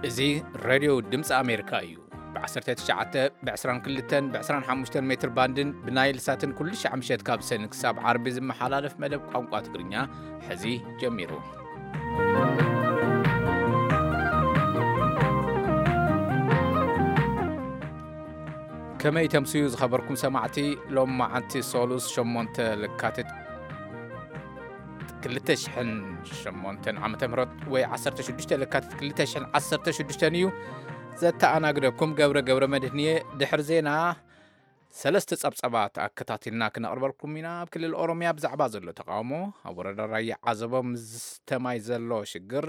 እዚ ሬድዮ ድምፂ ኣሜሪካ እዩ። ብ19፣ ብ22፣ ብ25 ሜትር ባንድን ብናይል ሳትን ኩሉ ሻዕ ምሸት ካብ ሰኒ ክሳብ ዓርቢ ዝመሓላለፍ መደብ ቋንቋ ትግርኛ ሕዚ ጀሚሩ። ከመይ ተምስዩ ዝኸበርኩም ሰማዕቲ? ሎም መዓንቲ ሶሉስ ሸሞንተ ለካቲት ክልተ ሽሕን ሸሞንተን ዓመተ ምህረት ወይ ዓሰርተ ሽዱሽተ ለካቲት ክልተ ሽሕን ዓሰርተ ሽዱሽተን እዩ። ዘተኣናግደኩም ገብረ ገብረ መድህን እየ። ድሕሪ ዜና ሰለስተ ጸብጸባት ኣከታቲልና ክነቕርበልኩም ኢና። ኣብ ክልል ኦሮምያ ብዛዕባ ዘሎ ተቃውሞ፣ ኣብ ወረዳ ራያ ዓዘቦ ምስተ ማይ ዘሎ ሽግር፣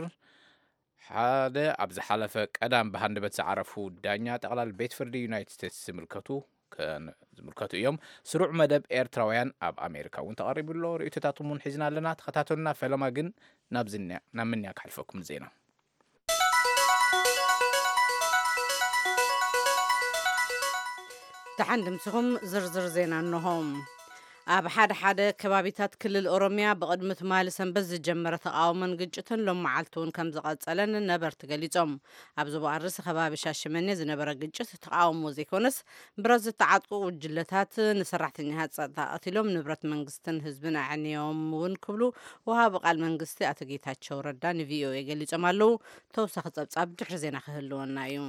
ሓደ ኣብ ዝሓለፈ ቀዳም ብሃንደበት ዝዓረፉ ዳኛ ጠቕላል ቤት ፍርዲ ዩናይትድ ስቴትስ ዝምልከቱ ከን-፣ ዝምልከቱ እዮም። ስሩዕ መደብ ኤርትራውያን ኣብ ኣሜሪካ እውን ተቐሪቡ ኣሎ። ርእይቶታትኩም እውን ሒዝና ኣለና። ተኸታተሉና። ፈለማ ግን ናብ ዝንያ-፣ ናብ ምንያ ክሓልፈኩም ዜና። ደሓን ድምስኹም። ዝርዝር ዜና እንሆ። ኣብ ሓደ ሓደ ከባቢታት ክልል ኦሮምያ ብቕድሚ ትማሊ ሰንበት ዝጀመረ ተቓውሞን ግጭትን ሎም መዓልቲ እውን ከም ዝቐጸለን ነበርቲ ገሊጾም። ኣብ ዞባ ኣርሲ ከባቢ ሻሸመኔ ዝነበረ ግጭት ተቓውሞ ዘይኮነስ፣ ብረት ዝተዓጥቁ ጉጅለታት ንሰራሕተኛታት ጸጥታ ቀቲሎም፣ ንብረት መንግስትን ህዝብን ኣዕንዮም እውን ክብሉ ወሃቢ ቃል መንግስቲ ኣቶ ጌታቸው ረዳ ንቪኦኤ ገሊጾም ኣለዉ። ተወሳኺ ጸብጻብ ድሕሪ ዜና ክህልወና እዩ።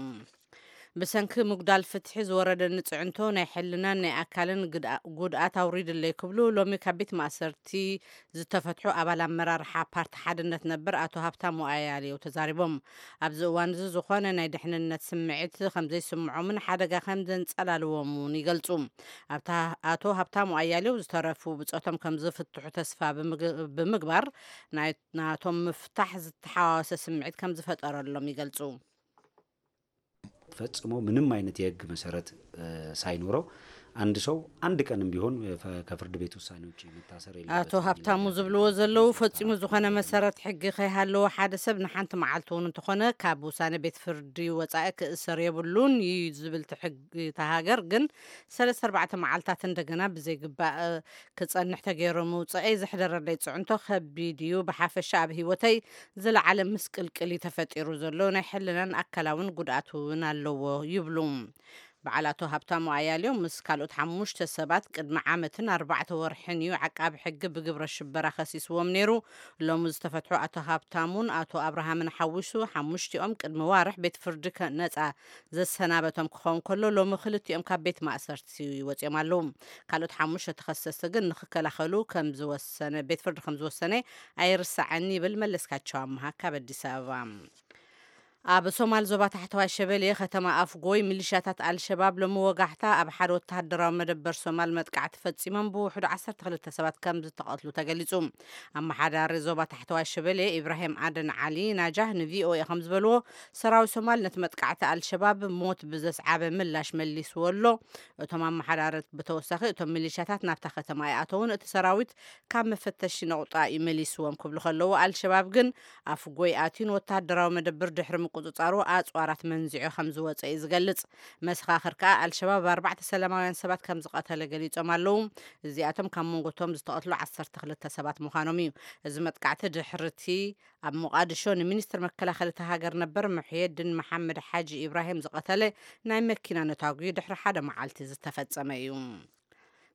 ብሰንኪ ምጉዳል ፍትሒ ዝወረደኒ ጽዕንቶ ናይ ሕልናን ናይ ኣካልን ግድኣ-፣ ጉድኣት ኣውሪድለይ ክብሉ ሎሚ ካብ ቤት ማእሰርቲ ዝተፈትሑ ኣባል ኣመራርሓ ፓርቲ ሓድነት ነበር ኣቶ ሃብታሙ ኣያሌው ተዛሪቦም። ኣብዚ እዋን እዚ ዝኾነ ናይ ድሕንነት ስምዒት ከም ዘይስምዖምን ሓደጋ ከም ዘንጸላልዎም እውን ይገልጹ። ኣብታ ኣቶ ሃብታሙ ኣያሌው ዝተረፉ ብጾቶም ከም ዝፍትሑ ተስፋ ብምግ-፣ ብምግባር፣ ናይ ናቶም ምፍታሕ ዝተሓዋወሰ ስምዒት ከም ዝፈጠረሎም ይገልጹ። ፈጽሞ ምንም አይነት የህግ መሰረት፣ እ፣ ሳይኖረው አንድ ሰው አንድ ቀንም ቢሆን፣ እ፣ ፈ-፣ ከፍርድ ቤት ውሳኔ ውጪ መታሰር የለበትም አቶ የሚል ሀብታሙ ነገር ዝብልዎ ነው። ዘለዉ፣ ፈጺሙ ዝኾነ መሰረት ሕጊ ከይሃለዎ ሓደ ሰብ ንሓንቲ መዓልቲ እውን እንተኾነ ካብ ውሳኔ ቤት ፍርዲ ወጻኢ ክእሰር የብሉን እዩ ዝብል እቲ ሕጊ እታ ሃገር። ግን ሰለስተ ኣርባዕተ መዓልታት እንደገና ብዘይግባእ ክጸንሕ ተገይሩ ምውጸኤ ዘሕደረለይ ጽዕንቶ ከቢድ እዩ። ብሓፈሻ ኣብ ህይወተይ ዝለዓለ ምስቅልቅል እዩ ተፈጢሩ ዘሎ። ናይ ሕልናን ኣካላውን ጉድኣት እውን ኣለዎ ይብሉ። በዓል ኣቶ ሃብታሙ ኣያሌው ምስ ካልኦት ሓሙሽተ ሰባት ቅድሚ ዓመትን ኣርባዕተ ወርሕን እዩ ዓቃቢ ሕጊ ብግብረ ሽበራ ከሲስዎም ነይሩ። ሎሚ ዝተፈትሑ ኣቶ ሃብታሙን ኣቶ ኣብርሃምን ሓዊሱ ሓሙሽቲኦም ቅድሚ ዋርሕ ቤት ፍርዲ ከ-፣ ነጻ ዘሰናበቶም ክኸውን ከሎ፣ ሎሚ ክልቲኦም ካብ ቤት ማእሰርቲ ወጺኦም ኣለዉ። ካልኦት ሓሙሽተ ተኸሰስቲ ግን ንኽከላኸሉ ከም ዝወሰነ፣ ቤት ፍርዲ ከም ዝወሰነ ኣይርሳዕን ይብል መለስካቸው ኣምሃ ካብ ኣዲስ ኣበባ። ኣብ ሶማል ዞባ ታሕተዋይ ሸበሌ ከተማ ኣፍጎይ ሚሊሻታት ኣልሸባብ ሎሚ ወጋሕታ ኣብ ሓደ ወተሃደራዊ መደበር ሶማል መጥቃዕቲ ፈጺሞም ብውሕዱ ዓሰርተ ክልተ ሰባት ከም ዝተቐትሉ ተገሊጹ። ኣመሓዳሪ ዞባ ታሕተዋይ ሸበሌ ኢብራሂም ኣደን ዓሊ ናጃህ ንቪኦኤ ከም ዝበልዎ፣ ሰራዊት ሶማል ነቲ መጥቃዕቲ ኣልሸባብ ሞት ብዘስዓበ ምላሽ መሊስዎ ኣሎ። እቶም ኣመሓዳሪ ብተወሳኺ፣ እቶም ሚሊሻታት ናብታ ከተማ ኣይኣተውን፣ እቲ ሰራዊት ካብ መፈተሺ ነቑጣ እዩ መሊስዎም ክብሉ ከለዉ፣ ኣልሸባብ ግን ኣፍጎይ ኣትዩ ንወተሃደራዊ መደብር ድሕሪ ምቁጽጻሩ ኣጽዋራት መንዚዑ ከም ዝወጸ እዩ ዝገልጽ። መሰኻኽር ከኣ ኣልሸባብ ኣርባዕተ ሰላማውያን ሰባት ከም ዝቐተለ ገሊጾም ኣለዉ። እዚኣቶም ካብ መንጎቶም ዝተቐትሉ ዓሰርተ ክልተ ሰባት ምዃኖም እዩ። እዚ መጥቃዕቲ ድሕርቲ ኣብ ሞቓድሾ ንሚኒስትር መከላኸሊ እታ ሃገር ነበር ሙሕየድን መሓመድ ሓጂ ኢብራሂም ዝቐተለ ናይ መኪና ነታጒ ድሕሪ ሓደ መዓልቲ ዝተፈጸመ እዩ።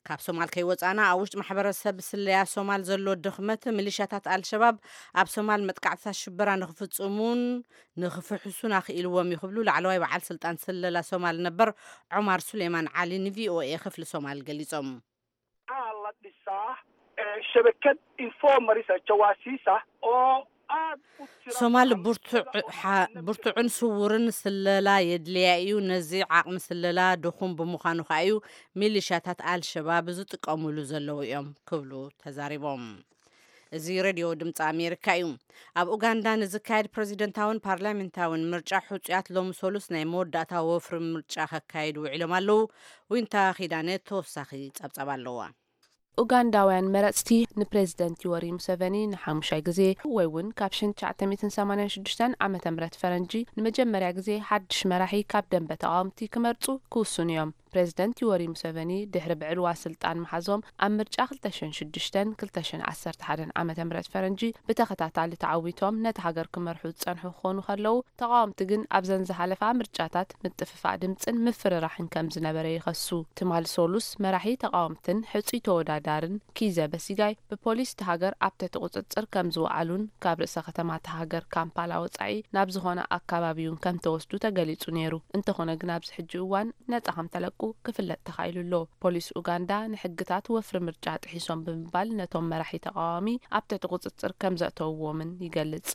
ካብ ሶማል ከይወጻና፣ ኣብ ውሽጢ ማሕበረሰብ ስለያ ሶማል ዘሎ ድኽመት፣ ሚሊሻታት ኣልሸባብ ኣብ ሶማል መጥቃዕትታት ሽበራ ንኽፍጽሙን ንኽፍሕሱን ኣኽኢልዎም እዩ ክብሉ ላዕለዋይ በዓል ስልጣን ስለላ ሶማል ነበር ዑማር ሱሌማን ዓሊ ንቪኦኤ ክፍሊ ሶማል ገሊጾም። Waxaa la dhisaa, eh, shabakad informers ah, jawaasiis ah oo aad u tiro ሶማል badan ብርቱዕ-፣ ሓ-፣ ብርቱዕን ስውርን ስለላ የድልያ እዩ። ነዚ ዓቕሚ ስለላ ድኹም ብምዃኑ ከኣ እዩ ሚሊሻታት ኣልሸባብ ዝጥቀሙሉ ዘለዉ እዮም ክብሉ ተዛሪቦም። እዚ ሬድዮ ድምፂ ኣሜሪካ እዩ። ኣብ ኡጋንዳ ንዝካየድ ፕሬዚደንታውን ፓርላሜንታውን ምርጫ ሕፁያት ሎሚ ሰሉስ ናይ መወዳእታ ወፍሪ ምርጫ ከካይዱ ውዒሎም ኣለዉ። ዊንታ ኪዳነ ተወሳኺ ጸብጻብ ኣለዋ። ኡጋንዳውያን መረጽቲ ንፕሬዚደንት ዮወሪ ሙሰቨኒ ንሓሙሻይ ግዜ ወይ እውን ካብ ሽሕን ትሽዓተ ሚእትን ሰማንያን ሽዱሽተን ዓመተ ምህረት ፈረንጂ ንመጀመርያ ግዜ ሓድሽ መራሒ ካብ ደንበ ተቓወምቲ ክመርጹ ክውስኑ እዮም። ፕሬዝደንት ዮወሪ ሙሰቨኒ ድሕሪ ብዕልዋ ስልጣን ምሓዞም ኣብ ምርጫ ክልተ ሽሕን ሽዱሽተን ክልተ ሽሕን ዓሰርተ ሓደን ዓመተ ምህረት ፈረንጂ ብተኸታታሊ ተዓዊቶም ነቲ ሃገር ክመርሑ ዝጸንሑ ክኾኑ ከለዉ፣ ተቓወምቲ ግን ኣብዘን ዝሓለፋ ምርጫታት ምጥፍፋእ ድምጽን ምፍርራሕን ከም ዝነበረ ይኸሱ። ትማል ሶሉስ መራሒ ተቓወምትን ሕጹይ ተወዳዳርን ኪዘ በሲጋይ ብፖሊስ እቲ ሃገር ኣብ ትሕቲ ቁጽጽር ከም ዝወዓሉን ካብ ርእሰ ከተማ እቲ ሃገር ካምፓላ ወጻኢ ናብ ዝኾነ ኣካባቢ እውን ከም ተወስዱ ተገሊጹ ነይሩ። እንተኾነ ግን ኣብዚ ሕጂ እዋን ነጻ ከም ተለቁ ክፍለጥ ተኻኢሉ ኣሎ። ፖሊስ ኡጋንዳ ንሕግታት ወፍሪ ምርጫ ጥሒሶም ብምባል ነቶም መራሒ ተቓዋሚ ኣብ ትሕቲ ቁጽጽር ከም ዘእተውዎምን ይገልጽ።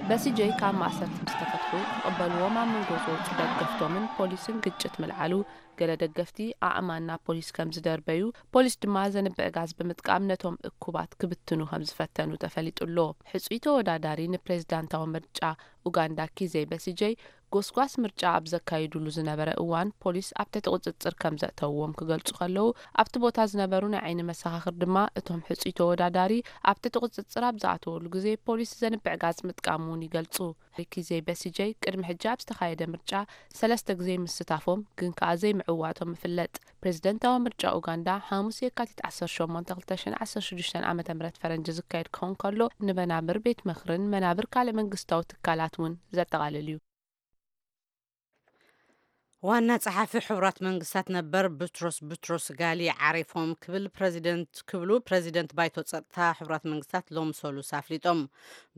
በሲጀይ ካብ ማእሰርቲ ምስ ተፈትሑ ክቕበልዎም ኣብ መንጎ ዝወጹ ደገፍቶምን ፖሊስን ግጭት ምልዓሉ፣ ገለ ደገፍቲ ኣእማን ናብ ፖሊስ ከም ዝደርበዩ፣ ፖሊስ ድማ ዘንብዕ ጋዝ ብምጥቃም ነቶም እኩባት ክብትኑ ከም ዝፈተኑ ተፈሊጡ ኣሎ። ሕጹይ ተወዳዳሪ ንፕሬዝዳንታዊ ምርጫ ኡጋንዳ ኪዘ በሲጀይ ጎስጓስ ምርጫ ኣብ ዘካይዱሉ ዝነበረ እዋን ፖሊስ ኣብ ትሕቲ ቁጽጽር ከም ዘእተውዎም ክገልጹ ከለዉ፣ ኣብቲ ቦታ ዝነበሩ ናይ ዓይኒ መሰኻኽር ድማ እቶም ሕጹይ ተወዳዳሪ ኣብ ትሕቲ ቁጽጽር ኣብ ዝኣተወሉ ግዜ ፖሊስ ዘንብዕ ጋዝ ምጥቃሙ እውን ይገልጹ። ኪዘ በሲጀይ ቅድሚ ሕጂ ኣብ ዝተኻየደ ምርጫ ሰለስተ ግዜ ምስታፎም ግን ከኣ ዘይምዕዋቶም ይፍለጥ። ፕሬዝደንታዊ ምርጫ ኡጋንዳ ሓሙስ የካቲት ዓሰርተ ሸሞንተ ክልተ ሽሕን ዓሰርተ ሽዱሽተን ዓመተ ምህረት ፈረንጂ ዝካየድ ክኸውን ከሎ፣ ንመናብር ቤት ምኽርን መናብር ካልእ መንግስታዊ ትካላት እውን ዘጠቓልል እዩ። ዋና ጸሓፊ ሕቡራት መንግስታት ነበር ቡትሮስ ቡትሮስ ጋሊ ዓሪፎም ክብል ፕረዚደንት፣ ክብሉ ፕረዚደንት ባይቶ ጸጥታ ሕቡራት መንግስታት ሎም ሰሉስ ኣፍሊጦም።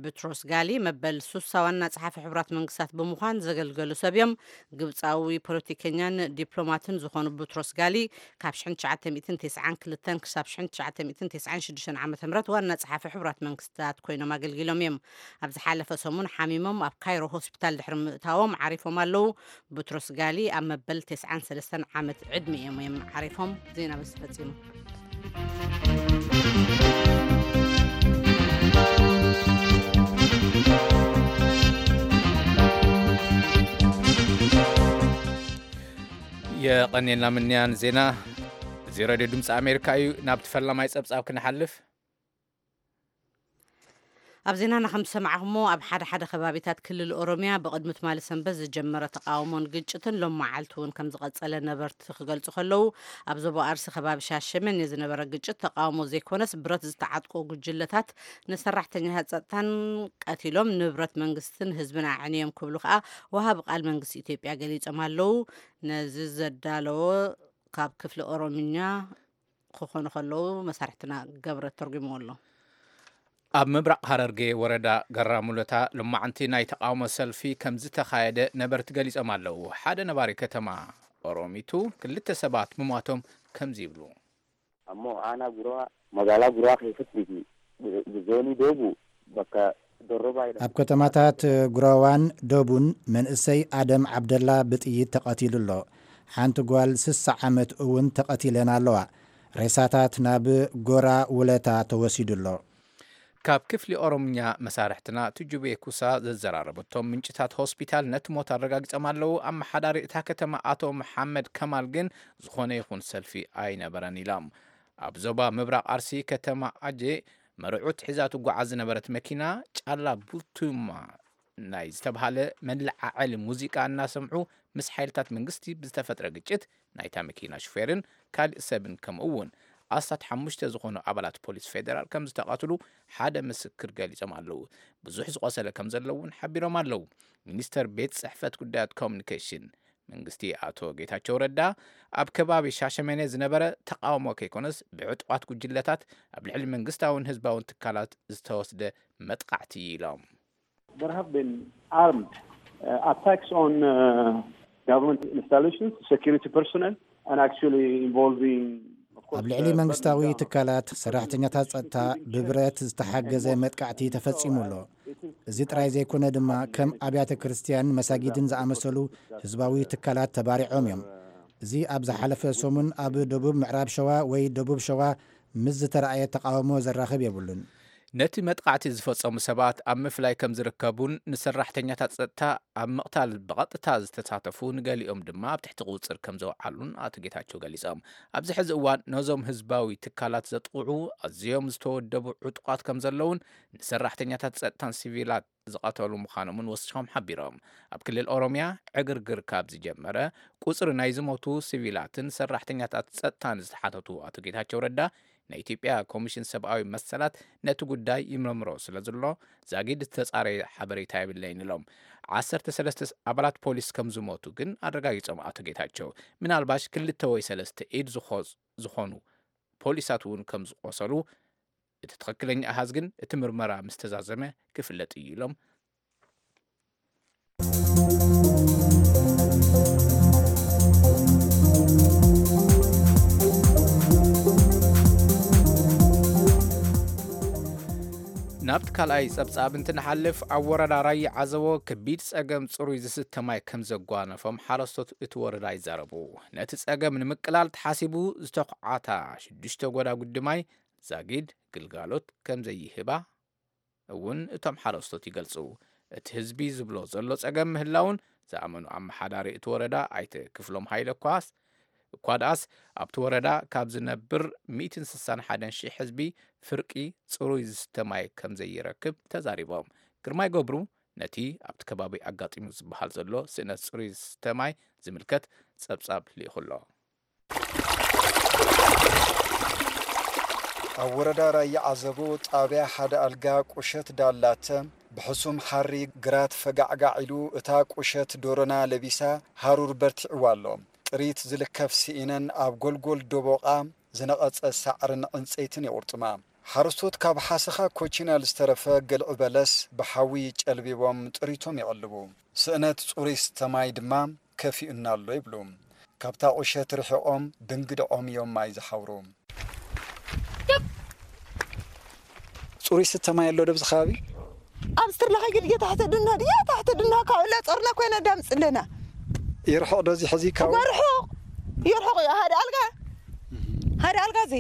ቡትሮስ ጋሊ መበል ሱሳ ዋና ጸሓፊ ሕቡራት መንግስታት ብምዃን ዘገልገሉ ሰብ እዮም። ግብጻዊ ፖለቲከኛን ዲፕሎማትን ዝኾኑ ቡትሮስ ጋሊ ካብ ሽሕን ትሽዓተ ሚእትን ተስዓን ክልተን ክሳብ ሽሕን ትሽዓተ ሚእትን ተስዓን ሽዱሽተን ዓመተ ምህረት ዋና ጸሓፊ ሕቡራት መንግስታት ኮይኖም ኣገልጊሎም እዮም። ኣብ ዝሓለፈ ሰሙን ሓሚሞም ኣብ ካይሮ ሆስፒታል ድሕሪ ምእታዎም ዓሪፎም ኣለዉ። ቡትሮስ ጋሊ ኣብ መበል ተስዓን ሰለስተን ዓመት ዕድሚኦም እዮም ዓሪፎም። ዜና በዚ ተፈጺሙ። የቐኔልና ምንያን ዜና። እዚ ሬድዮ ድምፂ ኣሜሪካ እዩ። ናብቲ ፈላማይ ጸብጻብ ክንሓልፍ። ኣብ ዜናና ከም ዝሰማዕኹሞ፣ ኣብ ሓደ ሓደ ከባቢታት ክልል ኦሮሚያ ብቕድሚ ትማሊ ሰንበት ዝጀመረ ተቓውሞን ግጭትን ሎም መዓልቲ እውን ከም ዝቐጸለ ነበርቲ ክገልጹ ከለዉ፣ ኣብ ዞባ ኣርሲ ከባቢ ሻሸመኔ ዝነበረ ግጭት ተቓውሞ ዘይኮነስ ብረት ዝተዓጥቁ ጉጅለታት ንሰራሕተኛታት ጸጥታን ቀቲሎም ንብረት መንግስትን ህዝብን ኣዕንዮም ክብሉ ከኣ ወሃቢ ቃል መንግስቲ ኢትዮጵያ ገሊጾም ኣለዉ። ነዚ ዘዳለዎ ካብ ክፍሊ ኦሮምኛ ክኾኑ ከለዉ መሳርሕትና ገብረ ተርጉምዎ ኣሎ። ኣብ ምብራቕ ሃረርጌ ወረዳ ገራ ሙለታ ሎማዕንቲ ናይ ተቓውሞ ሰልፊ ከም ዝተኻየደ ነበርቲ ገሊጾም ኣለዉ። ሓደ ነባሪ ከተማ ኦሮሚቱ ክልተ ሰባት ምሟቶም ከምዚ ይብሉ። ኣሞ ኣና ጉራ መጋላ ጉራ ከይፍት ቢቲ ብዞኒ ዶቡ በካ ደሮባ ይዳ ኣብ ከተማታት ጉራዋን ዶቡን መንእሰይ ኣደም ዓብደላ ብጥይት ተቐቲሉ ኣሎ። ሓንቲ ጓል ስሳ ዓመት እውን ተቐቲለን ኣለዋ። ሬሳታት ናብ ጎራ ውለታ ተወሲዱ ኣሎ። ካብ ክፍሊ ኦሮምኛ መሳርሕትና ትጁቤ ኩሳ ዘዘራረበቶም ምንጭታት ሆስፒታል ነቲ ሞት ኣረጋጊጾም ኣለዉ። ኣመሓዳሪ እታ ከተማ ኣቶ መሓመድ ከማል ግን ዝኾነ ይኹን ሰልፊ ኣይነበረን ኢሎም። ኣብ ዞባ ምብራቕ ኣርሲ ከተማ ኣጄ መርዑት ሒዛ ትጓዓዝ ዝነበረት መኪና ጫላ ቡቱማ ናይ ዝተብሃለ መለዓዓሊ ሙዚቃ እናሰምዑ ምስ ሓይልታት መንግስቲ ብዝተፈጥረ ግጭት ናይታ መኪና ሹፌርን ካልእ ሰብን ከምኡ እውን ኣስታት ሓሙሽተ ዝኾኑ ኣባላት ፖሊስ ፌደራል ከም ዝተቐትሉ ሓደ ምስክር ገሊጾም ኣለዉ። ብዙሕ ዝቖሰለ ከም ዘሎ እውን ሓቢሮም ኣለዉ። ሚኒስተር ቤት ጽሕፈት ጉዳያት ኮሙኒኬሽን መንግስቲ ኣቶ ጌታቸው ረዳ ኣብ ከባቢ ሻሸመኔ ዝነበረ ተቓውሞ ከይኮነስ ብዕጡቓት ጉጅለታት ኣብ ልዕሊ መንግስታውን ህዝባውን ትካላት ዝተወስደ መጥቃዕቲ እዩ ኢሎም። There have been armed uh, attacks on uh, government installations, security personnel, and actually involving, of course, ኣብ ልዕሊ uh, መንግስታዊ public ትካላት፣ ሰራሕተኛታት ጸጥታ ብብረት ዝተሓገዘ መጥቃዕቲ ተፈጺሙ ኣሎ። እዚ ጥራይ ዘይኮነ ድማ ከም ኣብያተ ክርስቲያን፣ መሳጊድን ዝኣመሰሉ ህዝባዊ ትካላት ተባሪዖም እዮም። እዚ ኣብ ዝሓለፈ ሰሙን ኣብ ደቡብ ምዕራብ ሸዋ ወይ ደቡብ ሸዋ ምስ ዝተራእየ ተቓውሞ ዘራኽብ የብሉን። ነቲ መጥቓዕቲ ዝፈጸሙ ሰባት ኣብ ምፍላይ ከም ዝርከቡን ንሰራሕተኛታት ጸጥታ ኣብ ምቕታል ብቐጥታ ዝተሳተፉ ንገሊኦም ድማ ኣብ ትሕቲ ቁጽጽር ከም ዘውዓሉን ኣቶ ጌታቸው ገሊጾም። ኣብዚ ሕዚ እዋን ነዞም ህዝባዊ ትካላት ዘጥቕዑ ኣዝዮም ዝተወደቡ ዕጡቓት ከም ዘለውን ንሰራሕተኛታት ጸጥታን ሲቪላት ዝቐተሉ ምዃኖምን ወሲኾም ሓቢሮም። ኣብ ክልል ኦሮምያ ዕግርግር ካብ ዝጀመረ ቁጽሪ ናይ ዝሞቱ ሲቪላትን ሰራሕተኛታት ጸጥታን ዝተሓተቱ ኣቶ ጌታቸው ረዳ ናይ ኢትዮጵያ ኮሚሽን ሰብኣዊ መሰላት ነቲ ጉዳይ ይምርምሮ ስለ ዘሎ ዛጊድ ዝተጻረየ ሓበሬታ የብለይን ኢሎም። ዓሰርተ ሰለስተ ኣባላት ፖሊስ ከም ዝሞቱ ግን ኣረጋጊጾም ኣቶ ጌታቸው። ምናልባሽ ክልተ ወይ ሰለስተ ኢድ ዝኾ- ዝኾኑ ፖሊሳት እውን ከም ዝቆሰሉ እቲ ትኽክለኛ ኣሃዝ ግን እቲ ምርመራ ምስ ተዛዘመ ክፍለጥ እዩ ኢሎም። ናብቲ ካልኣይ ጸብጻብ እንትንሓልፍ ኣብ ወረዳ ራያ ዓዘቦ ከቢድ ጸገም ጽሩይ ዝስተ ማይ ከም ዘጓነፎም ሓረስቶት እቲ ወረዳ ይዛረቡ። ነቲ ጸገም ንምቅላል ተሓሲቡ ዝተኹዓታ ሽዱሽተ ጎዳጉዲ ማይ ዛጊድ ግልጋሎት ከም ዘይህባ እውን እቶም ሓረስቶት ይገልጹ። እቲ ህዝቢ ዝብሎ ዘሎ ጸገም ምህላውን ዝኣመኑ ኣመሓዳሪ እቲ ወረዳ ኣይተ ክፍሎም ሃይለ ኳስ እኳ ደኣስ ኣብቲ ወረዳ ካብ ዝነብር ሚእትን ስሳን ሓደን ሺሕ ህዝቢ ፍርቂ ጽሩይ ዝስተ ማይ ከም ዘይረክብ ተዛሪቦም። ግርማይ ገብሩ ነቲ ኣብቲ ከባቢ ኣጋጢሙ ዝበሃል ዘሎ ስእነት ጽሩይ ዝስተ ማይ ዝምልከት ጸብጻብ ልኢኹ ኣሎ። ኣብ ወረዳ ራያ ዓዘቦ ጣብያ ሓደ ኣልጋ ቁሸት ዳላተ ብሕሱም ሓሪ ግራት ፈጋዕጋዕ ኢሉ እታ ቁሸት ዶሮና ለቢሳ ሃሩር በርቲዕዋ ኣሎ። ጥሪት ዝልከፍ ስኢነን ኣብ ጎልጎል ደቦቓ ዝነቐጸ ሳዕርን ዕንጸይትን የቑርጥማ። ሓረስቶት ካብ ሓሰኻ ኮቺናል ዝተረፈ ገልዒ በለስ ብሓዊ ጨልቢቦም ጥሪቶም የቐልቡ። ስእነት ጽሩይ ስተ ማይ ድማ ከፊኡና ኣሎ ይብሉ። ካብታ ቁሸት ርሒቖም ብእንግድዖም እዮም ማይ ዝሓውሩ። ጽሩይ ስተ ማይ ኣሎ ዶ ኣብዚ ከባቢ? ኣብ ስትርላ ከይግድ እየ ታሕተ ድና ድያ ታሕተ ድና ካብ እላ ጾርና ኮይና ዳምጽ ኣለና። ይርሕቕ ዶ እዚ ሕዚ ካብ? እዋ ርሑቕ። ይርሕቕ እዩ። ሓደ ኣልጋ፣ ሓደ ኣልጋ እዚ።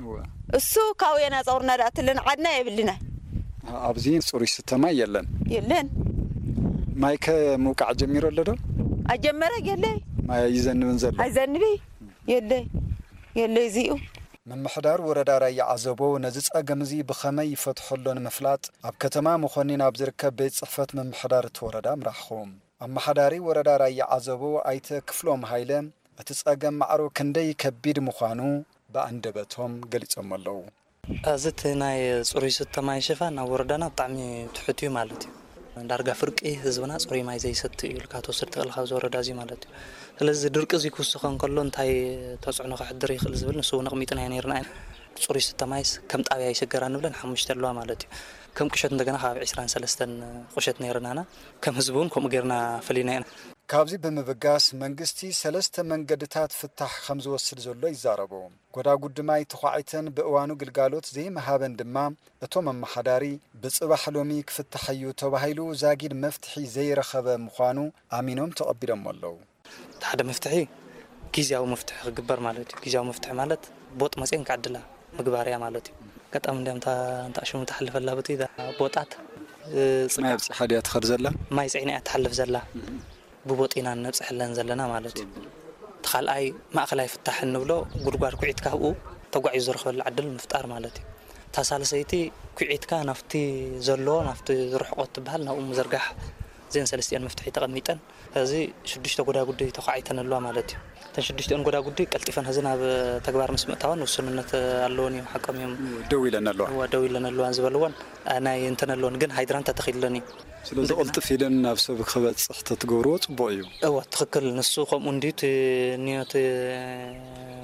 እዋ። እሱ ካብ የና ጾርና ዳእትልን ዓድና የብልና። ኣብዚ ጽሩይ ስተ ማይ የለን። የለን። ማይ ከ ምውቃዕ ጀሚሩ ኣሎ ዶ? ኣጀመረ የለይ። ማይ ኣይዘንብን ዘሎ። ኣይዘንቢ። የለይ። የለይ እዚኡ። ምምሕዳር ወረዳ ራያ ዓዘቦ ነዚ ጸገም እዚ ብኸመይ ይፈትሖ ኣሎ ንምፍላጥ ኣብ ከተማ መኾኒን ኣብ ዝርከብ ቤት ጽሕፈት ምምሕዳር እቲ ወረዳ ኣምራሕኹ። ኣመሓዳሪ ወረዳ ራያ ዓዘቦ ኣይተ ክፍሎም ሃይለ እቲ ጸገም ማዕሮ ክንደይ ከቢድ ምዃኑ ብኣንደበቶም ገሊጾም ኣለዉ። እዚ እቲ ናይ ጽሩይ ስተ ማይ ሽፋን ኣብ ወረዳና ብጣዕሚ ትሑት እዩ ማለት እዩ። ዳርጋ ፍርቂ ህዝብና ጽሩይ ማይ ዘይሰቲ እዩ ኢልካ ትወስድ ትኽእል ካብዚ ወረዳ እዚ ማለት እዩ። ስለዚ ድርቂ እዚ ክውስኸ እንከሎ እንታይ ተጽዕኖ ከሕድር ይኽእል ዝብል ንሱ እውን ኣቕሚጥናዮ ነይርና ኢና። ጽሩይ ስተ ማይስ ከም ጣብያ ይሽገራ ንብለን ሓሙሽተ ኣለዋ ማለት እዩ። ከም ቁሸት እንደገና ከባቢ ዕስራን ሰለስተን ቁሸት ነይርናና። ከም ህዝቢ እውን ከምኡ ጌርና ፈሊና ኢና። ካብዚ ብምብጋስ መንግስቲ ሰለስተ መንገድታት ፍታሕ ከም ዝወስድ ዘሎ ይዛረቡ። ጎዳጉዲ ማይ ተዃዒተን ብእዋኑ ግልጋሎት ዘይምሃበን ድማ እቶም ኣመሓዳሪ ብጽባሕ ሎሚ ክፍታሕ እዩ ተባሂሉ ዛጊድ መፍትሒ ዘይረኸበ ምዃኑ ኣሚኖም ተቐቢሎሞ ኣለዉ። እቲ ሓደ መፍትሒ ግዝያዊ መፍትሒ ክግበር ማለት እዩ። ግዝያዊ መፍትሒ ማለት ቦጥ መፅየን ክዓድላ ምግባር እያ ማለት እዩ። ኣጋጣሚ እንዲያም እታ እንታ ሽሙ ትሓልፍ ኣላ በቲ እዛ ቦጣት፣ እ፣ ማይ ጽቃ ኣብፂሓ ድያ ትኸድ ዘላ? ማይ ፅዒና እያ ትሓልፍ ዘላ። ብቦጥ ኢና ነብፅሐለን ዘለና ማለት እዩ። እቲ ካልኣይ ማእኸላይ ፍታሕ እንብሎ ጉድጓድ ኩዒት ካብኡ ተጓዒዙ ዝረኽበሉ ዕድል ምፍጣር ማለት እዩ። እታ ሳልሰይቲ ኩዒትካ ናብቲ ዘሎ ናብቲ ዝርሕቆ ትበሃል ናብኡ ምዝርጋሕ። እዚአን ሰለስቲአን መፍትሒ ተቐሚጠን ሕዚ ሽዱሽተ ጎዳጉዲ ተዃዒተን ኣለዋ ማለት እዩ። እተን ሽዱሽቲአን ጎዳጉዲ ቀልጢፈን ሕዚ ናብ ተግባር ምስ ምእታወን ውሱንነት ኣለወን እዮም፣ ሓቆም እዮም። ደው ኢለን ኣለዋ። እዋ፣ ደው ኢለን ኣለዋ ዝበልወን፣ አ፣ ናይ እንተን ኣለወን ግን ሃይድራንት ተተኺልለን እዩ። ስለዚ እንደገና ቅልጥፍ ኢለን ናብ ሰብ ክበጽሕ ተትገብርዎ ጽቡቕ እዩ። እዋ፣ ትኽክል። ንሱ ከምኡ እንድዩ እቲ ንዮ እቲ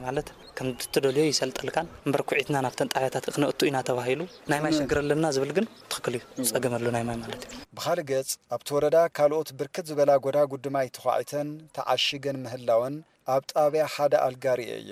ማለት ከም እትደልዮ ይሰልጠልካን እምበር ኩዒትና ናብተን ጣብያታት ክነእቱ ኢና ተባሂሉ ናይ ማይ ሸግር ኣለና ዝብል ግን ትኽክል እዩ። ጸገም ኣሎ ናይ ማይ ማለት እዩ። ብኻልእ ገጽ ኣብቲ ወረዳ ካልኦት ብርክት ዝበላ ጎዳጉዲ ማይ ተዃዒተን ተዓሺገን ምህላወን ኣብ ጣብያ ሓደ ኣልጋ ርእየ እየ።